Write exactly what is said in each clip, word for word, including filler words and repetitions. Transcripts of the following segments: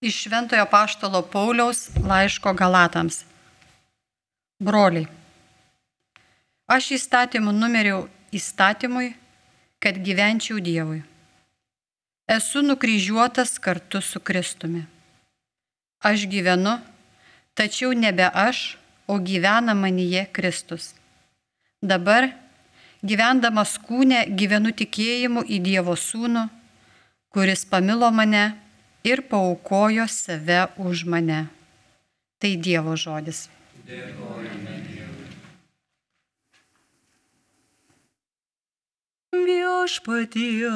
Iš Šventojo Apaštalo Pauliaus laiško Galatams. Broliai, aš įstatymų numeriau įstatymui, kad gyvenčiau Dievui. Esu nukryžiuotas kartu su Kristumi. Aš gyvenu, tačiau nebe aš, o gyvena manyje Kristus. Dabar, gyvendamas kūne, gyvenu tikėjimu į Dievo Sūnų, kuris pamilo mane ir paaukojo save už mane. Tai Dievo žodis. Dėkojame Dievui. Viešpatie,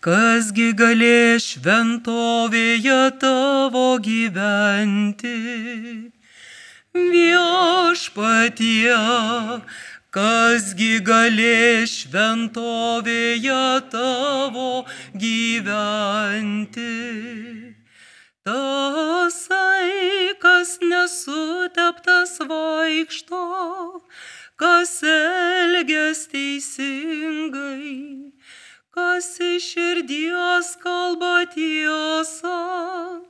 kasgi galės šventovėje tavo gyventi? Viešpatie, kasgi galės šventovėje tavo gyventi? Tasai, kas nesuteptas vaikšto, kas elgias teisingai, kas iš širdies kalba tiesą,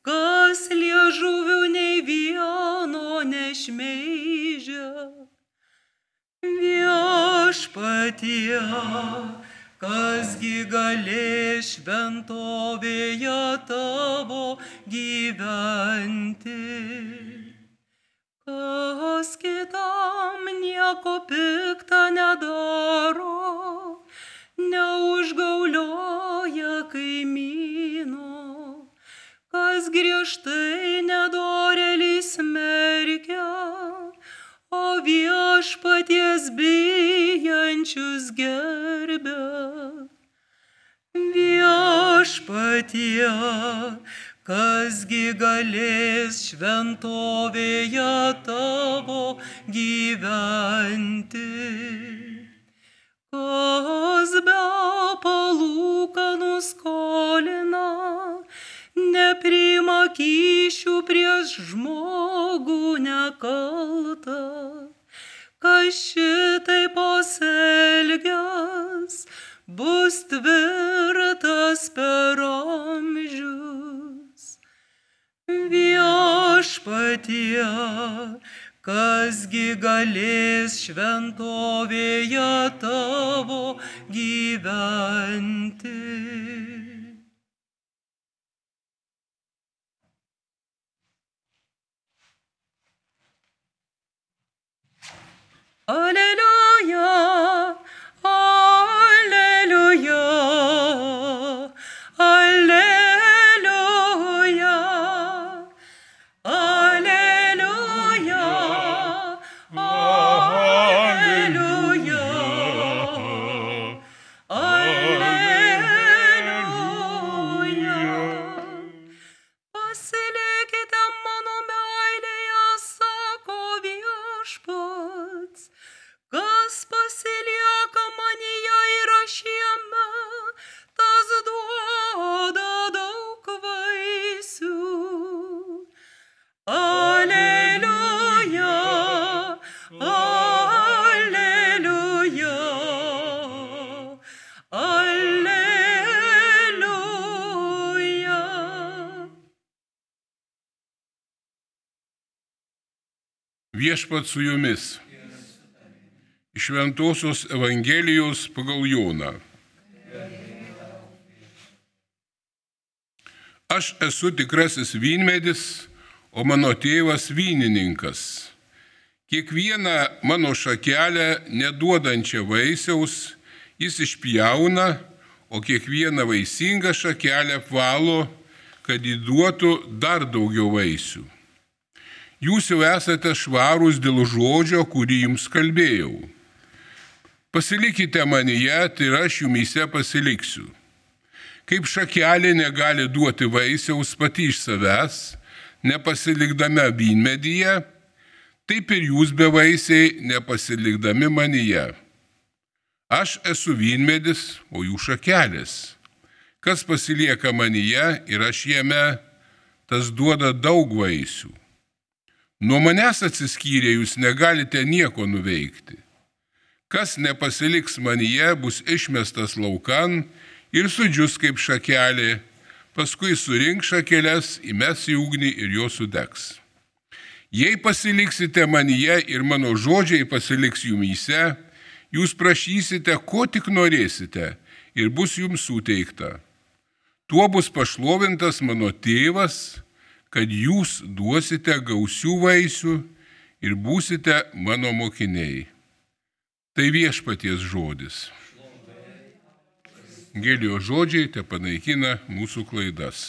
kas liežuviu nei vieno nešmeižia. Viešpatie, kasgi galės šventovėje tavo gyventi? Kas kitam nieko pikta nedaro, neužgaulioja kaimyno, kas griežtai nedorėlį smerkia, o viešpaties bijančius gerbia. Viešpatie, kasgi galės šventovėje tavo gyventi? Kas be palūkanų skolina, nepriima kyšių prieš žmogų nekaltą, kas šitaip pasielgęs, bus tvirtas per amžius. Viešpatie, kasgi galės šventovėje tavo gyventi? Aleliuja, aleliuja, aleliuja, aleliuja, aleliuja, aleliuja. Pasilikite mano meilėje, sako Viešpats. Kas pasilieka manyje ir aš jame, tas duoda daug vaisių. Aleliuja, aleliuja, aleliuja. Viešpats su jumis. Iš Šventosios Evangelijos pagal Joną. Aš esu tikrasis vynmedis, o mano tėvas vynininkas. Kiekvieną mano šakelę neduodančią vaisiaus jis išpjauna, o kiekvieną vaisingą šakelę apvalo, kad įduotų dar daugiau vaisių. Jūs jau esate švarūs dėl žodžio, kurį jums kalbėjau. Pasilikite manyje, tai aš jumyse pasiliksiu. Kaip šakelė negali duoti vaisiaus pati iš savęs, nepasilikdame vynmedyje, taip ir jūs bevaisiai nepasilikdami manyje. Aš esu vynmedis, o jų šakelės. Kas pasilieka manyje ir aš jame, tas duoda daug vaisių. Nuo manęs atsiskyrę jūs negalite nieko nuveikti. Kas nepasiliks manyje, bus išmestas laukan ir sudžius kaip šakelė, paskui surink šakeles, įmes į ugnį ir jos sudegs. Jei pasiliksite manyje ir mano žodžiai pasiliks jumyse, jūs prašysite, ko tik norėsite, ir bus jums suteikta. Tuo bus pašlovintas mano tėvas, kad jūs duosite gausių vaisių ir būsite mano mokiniai. Tai viešpaties žodis. Evangelijos žodžiai te panaikina mūsų klaidas.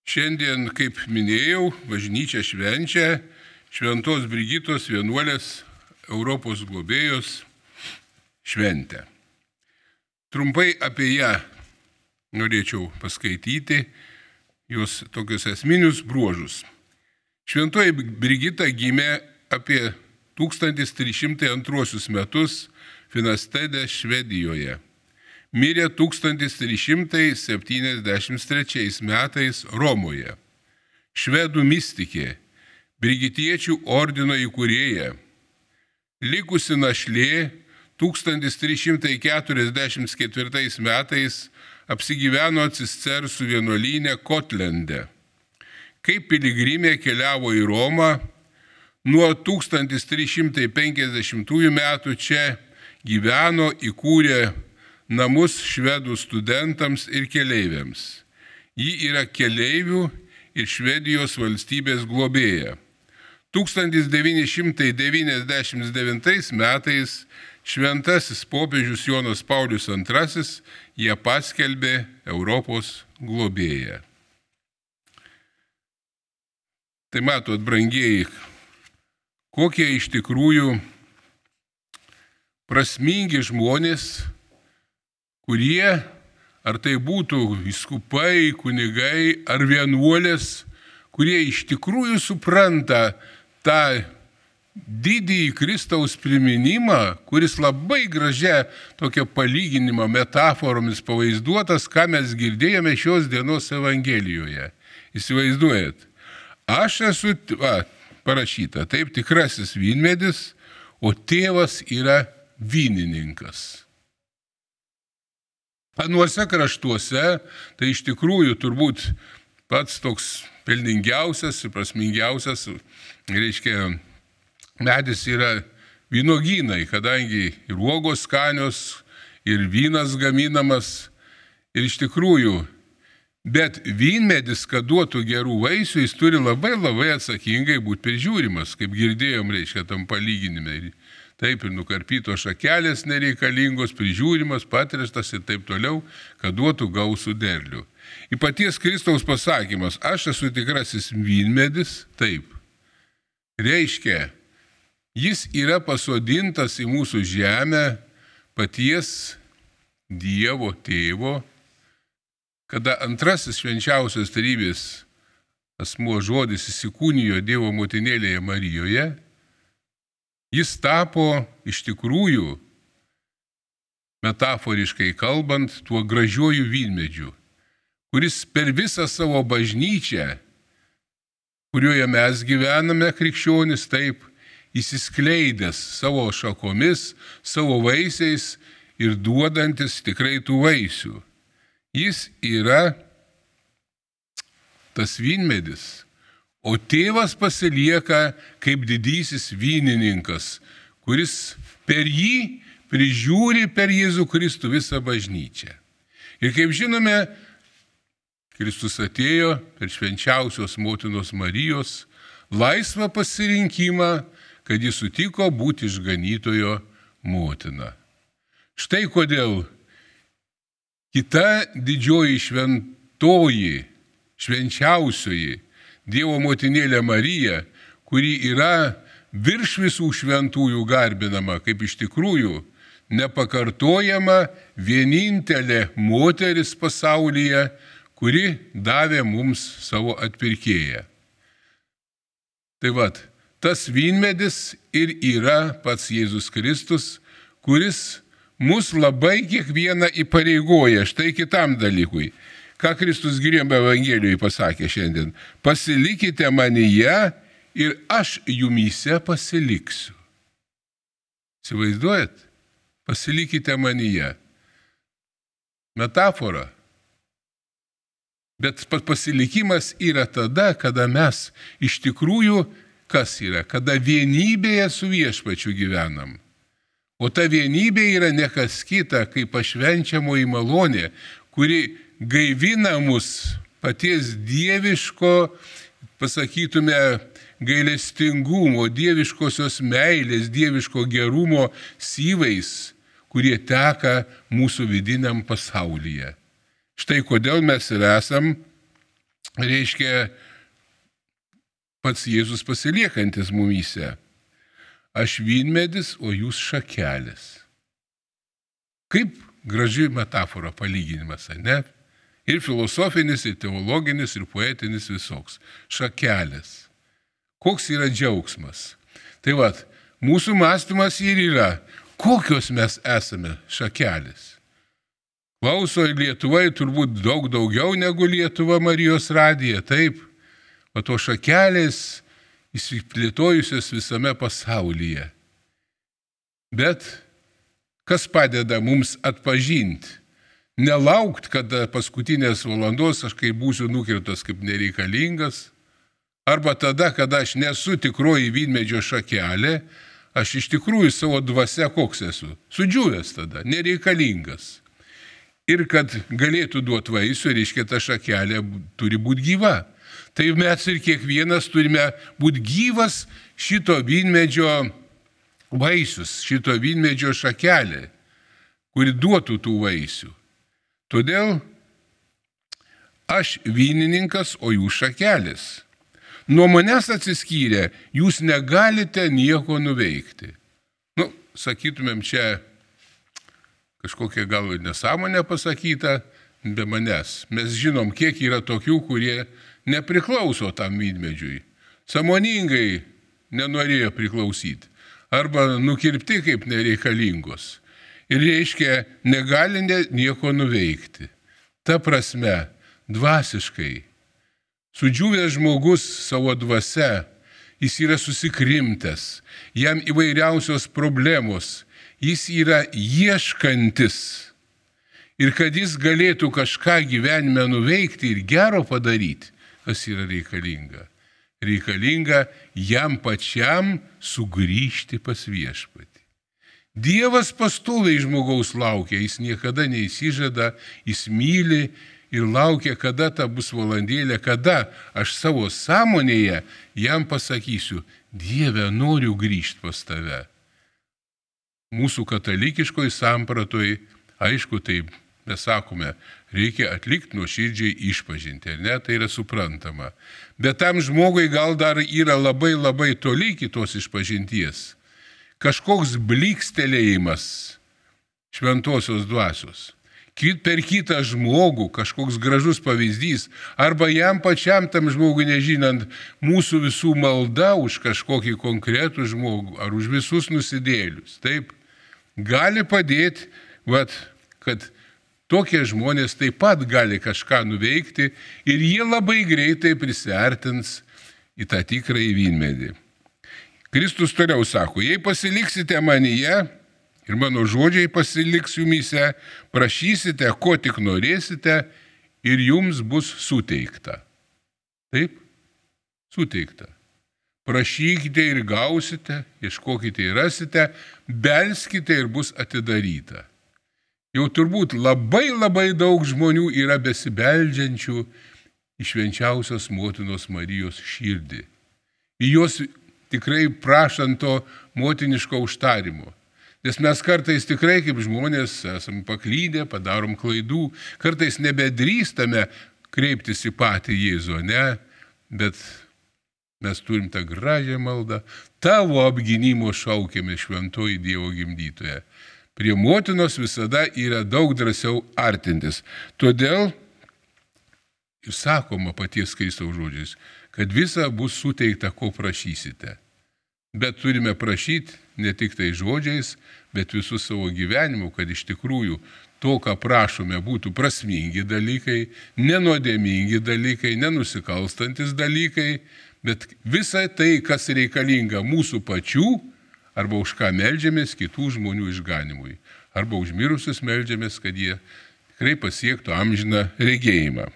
Šiandien, kaip minėjau, bažnyčia švenčia Šventos Brigitos vienuolės Europos globėjos šventę. Trumpai apie ją norėčiau paskaityti jos tokius esminius bruožus. Šventoji Brigita gimė apie tūkstantis trys šimtai antruosius metus Finastede, Švedijoje. Mirė tūkstantis trys šimtai septyniasdešimt trečiais metais Romoje. Švedų mistikė, brigitiečių ordino įkūrėja. Likusi našlė tūkstantis trys šimtai keturiasdešimt ketvirtais metais apsigyveno Cistersų vienuolyne Kotlende. Kaip piligrimė keliavo į Romą, nuo tūkstantis trys šimtai penkiasdešimtųjų metų čia gyveno, įkūrė namus švedų studentams ir keleiviams. Ji yra keleivių ir Švedijos valstybės globėja. tūkstantis devyni šimtai devyniasdešimt devintais metais šventasis popiežius Jonas Paulius antrasis ją paskelbė Europos globėja. Tai matot, brangieji, kokie iš tikrųjų prasmingi žmonės, kurie, ar tai būtų vyskupai, kunigai ar vienuolės, kurie iš tikrųjų supranta tą didįjį Kristaus priminimą, kuris labai gražia tokia palyginimo metaforomis pavaizduotas, ką mes girdėjome šios dienos Evangelijoje. Įsivaizduojat, aš esu, va, parašyta, taip, tikrasis vynmedis, o tėvas yra vynininkas. Anuose kraštuose, tai iš tikrųjų turbūt pats toks pelningiausias ir prasmingiausias, reiškia, medis yra vynogynai, kadangi ir uogos skanios, ir vynas gaminamas. Ir iš tikrųjų, bet vynmedis, kad duotų gerų vaisių, jis turi labai labai atsakingai būti prižiūrimas, kaip girdėjom, reiškia, tam palyginime. Taip, ir nukarpytos šakelės nereikalingos, prižiūrimas, patreštas ir taip toliau, kad duotų gausų derlių. Į paties Kristaus pasakymas, aš esu tikrasis vynmedis, taip. Reiškia, jis yra pasodintas į mūsų žemę paties Dievo tėvo, kada antrasis švenčiausios trejybės asmuo žodis įsikūnijo Dievo motinėlėje Marijoje, jis tapo iš tikrųjų, metaforiškai kalbant, tuo gražiuoju vynmedžiu, kuris per visą savo bažnyčią, kurioje mes gyvename krikščionis, taip, įsiskleidęs savo šakomis, savo vaisiais ir duodantis tikrai tų vaisių. Jis yra tas vynmedis. O tėvas pasilieka kaip didysis vynininkas, kuris per jį prižiūri per Jėzų Kristų visą bažnyčią. Ir kaip žinome, Kristus atėjo per švenčiausios motinos Marijos laisvą pasirinkimą, kad jis sutiko būti išganytojo motina. Štai kodėl kita didžioji šventoji, švenčiausioji Dievo motinėlė Marija, kuri yra virš visų šventųjų garbinama, kaip iš tikrųjų nepakartojama vienintelė moteris pasaulyje, kuri davė mums savo atpirkėją. Tai vat, tas vynmedis ir yra pats Jėzus Kristus, kuris mus labai kiekvieną įpareigoja štai kitam dalykui. Ką Kristus Giriame Evangelijoje pasakė šiandien? Pasilikite manyje ir aš jumyse pasiliksiu. Įsivaizduojat? pasilikite manyje. Metafora. Bet pasilikimas yra tada, kada mes iš tikrųjų, kas yra, kada vienybėje su viešpačiu gyvenam. O ta vienybė yra ne kas kita, kaip pašvenčiamoji malonė, kuri gaivina mus paties dieviško, pasakytume, gailestingumo, dieviškosios meilės, dieviško gerumo syvais, kurie teka mūsų vidiniam pasaulyje. Štai kodėl mes ir esam, reiškia, pats Jėzus pasiliekantis mumyse. Aš vynmedis, o jūs šakelės. Kaip graži metafora, palyginimas, ne? Ir filosofinis, ir teologinis, ir poetinis visoks. Šakelės. Koks yra džiaugsmas? Tai vat, mūsų mąstymas ir yra, kokios mes esame šakelės. Klauso Lietuvoje turbūt daug daugiau negu Lietuva Marijos radija, taip, o to šakelės įsiplėtojusios visame pasaulyje. Bet kas padeda mums atpažinti? Nelaukt, kada paskutinės valandos aš kaip būsiu nukirtas kaip nereikalingas, arba tada, kada aš nesu tikroji vynmedžio šakelė, aš iš tikrųjų savo dvasia koks esu, sudžiūvęs tada, nereikalingas. Ir kad galėtų duoti vaisių, reiškia, ta šakelė turi būti gyva. Tai mes ir kiekvienas turime būti gyvas šito vynmedžio vaisius, šito vynmedžio šakelė, kuri duotų tų vaisių. Todėl aš vynininkas, o jūs šakelės. Nuo manęs atsiskyrę, jūs negalite nieko nuveikti. Nu, sakytumėm, čia kažkokia gal nesąmonė pasakyta be manęs. Mes žinom, kiek yra tokių, kurie nepriklauso tam vynmedžiui. Sąmoningai nenorėjo priklausyti. Arba nukirpti kaip nereikalingos. Ir reiškia, negali nieko nuveikti. Ta prasme, dvasiškai, sudžiūvęs žmogus savo dvasia, jis yra susikrimtęs, jam įvairiausios problemos, jis yra ieškantis. Ir kad jis galėtų kažką gyvenime nuveikti ir gero padaryti, kas yra reikalinga. Reikalinga jam pačiam sugrįžti pas viešpatį. Dievas pastoviai žmogaus laukia, jis niekada neįsižada, jis myli ir laukia, kada ta bus valandėlė, kada aš savo sąmonėje jam pasakysiu, Dieve, noriu grįžti pas tave. Mūsų katalikiškoj sampratoj, aišku, taip mes sakome, reikia atlikti nuoširdžiai išpažinti, ar ne, tai yra suprantama. Bet tam žmogui gal dar yra labai labai toli kitos išpažinties. Kažkoks blykstelėjimas šventosios dvasios. Per kitą žmogų kažkoks gražus pavyzdys, arba jam pačiam tam žmogui nežinant mūsų visų malda už kažkokį konkretų žmogų, ar už visus nusidėlius. Taip, gali padėti, vat, kad tokie žmonės taip pat gali kažką nuveikti ir jie labai greitai prisiartins į tą tikrąjį vynmedį. Kristus toliau sako, jei pasiliksite manyje ir mano žodžiai pasiliks jumyse, prašysite, ko tik norėsite ir jums bus suteikta. Taip, suteikta. Prašykite ir gausite, ieškokite ir rasite, belskite ir bus atidaryta. Jau turbūt labai labai daug žmonių yra besibeldžiančių į švenčiausios motinos Marijos širdį. Į jos tikrai prašant to motiniško užtarimo. Nes mes kartais tikrai kaip žmonės esame paklydę, padarom klaidų, kartais nebedrįstame kreiptis į patį Jėzų, ne? Bet mes turim tą gražią maldą, tavo apgynimo šaukėme šventoji Dievo gimdytoje. Prie motinos visada yra daug drąsiau artintis. Todėl ir sakoma paties Kristaus žodžiais, kad visa bus suteikta, ko prašysite. Bet turime prašyti ne tik tai žodžiais, bet visų savo gyvenimu, kad iš tikrųjų to, ką prašome, būtų prasmingi dalykai, nenuodėmingi dalykai, nenusikalstantis dalykai, bet visa tai, kas reikalinga mūsų pačių, arba už ką meldžiamės kitų žmonių išganimui. arba užmirusius meldžiamės, kad jie tikrai pasiektų amžiną regėjimą.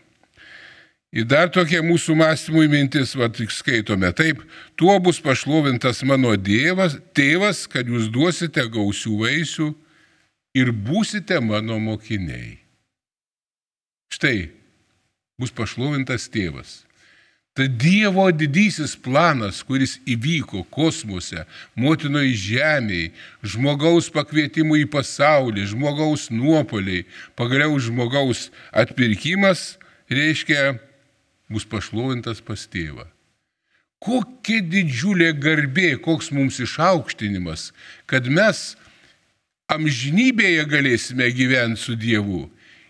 Ir dar tokia mūsų mąstymui mintis, va, tik skaitome taip, tuo bus pašlovintas mano dievas, tėvas, kad jūs duosite gausių vaisių ir būsite mano mokiniai. Štai, bus pašlovintas tėvas. Tai Dievo didysis planas, kuris įvyko kosmose, motinoje žemėje, žmogaus pakvietimų į pasaulį, žmogaus nuopoliai, pagaliau žmogaus atpirkimas, reiškia, bus pašlovintas pas tėvą. Kokia didžiulė garbė, koks mums išaukštinimas, kad mes amžinybėje galėsime gyventi su Dievu.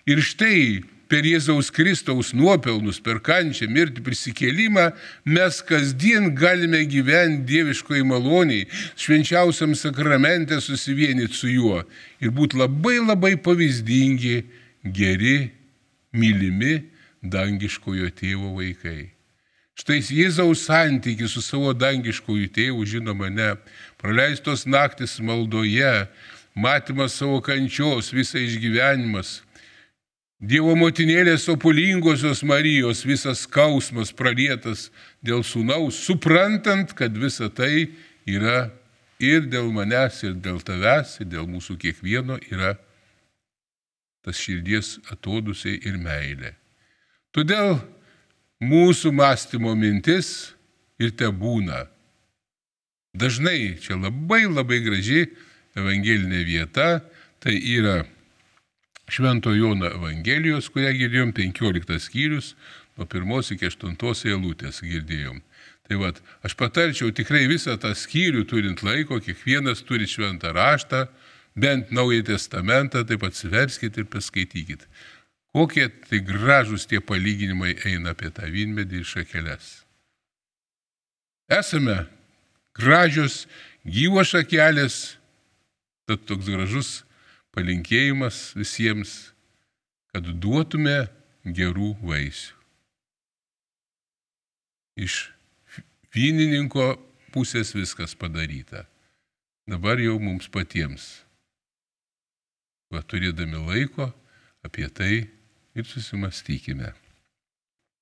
Ir štai per Jėzaus Kristaus nuopelnus, per kančią, mirtį, prisikėlimą, mes kasdien galime gyventi dieviškoje maloniai, švenčiausiam sakramente susivienyti su juo ir būti labai labai pavyzdingi, geri, mylimi dangiškojo tėvo vaikai. Štai Jėzaus santykis su savo dangiškoju tėvu, žinoma, ne, praleistos naktis maldoje, matymas savo kančios, visą išgyvenimas, Dievo motinėlės opulingosios Marijos visas skausmas pralietas dėl sūnaus, suprantant, kad visa tai yra ir dėl manęs, ir dėl tavęs, ir dėl mūsų kiekvieno yra tas širdies atodusiai ir meilė. Todėl mūsų mąstymo mintis ir te būna. Dažnai čia labai labai graži evangelinė vieta, tai yra Švento Jono Evangelijos, kurią girdėjom, penkioliktas skyrius, nuo pirmos iki aštuntos eilutės girdėjom. Tai vat, aš patarčiau tikrai visą tą skyrių turint laiko, kiekvienas turi šventą raštą, bent Naująjį testamentą, taip atsiverskit ir paskaitykit. Kokie tai gražus tie palyginimai eina apie tą vynmedį ir šakeles. Esame gražios, gyvos šakelės, tad toks gražus palinkėjimas visiems, kad duotume gerų vaisių. Iš vynininko pusės viskas padaryta. Dabar jau mums patiems, va, turėdami laiko, apie tai ir susimastykime.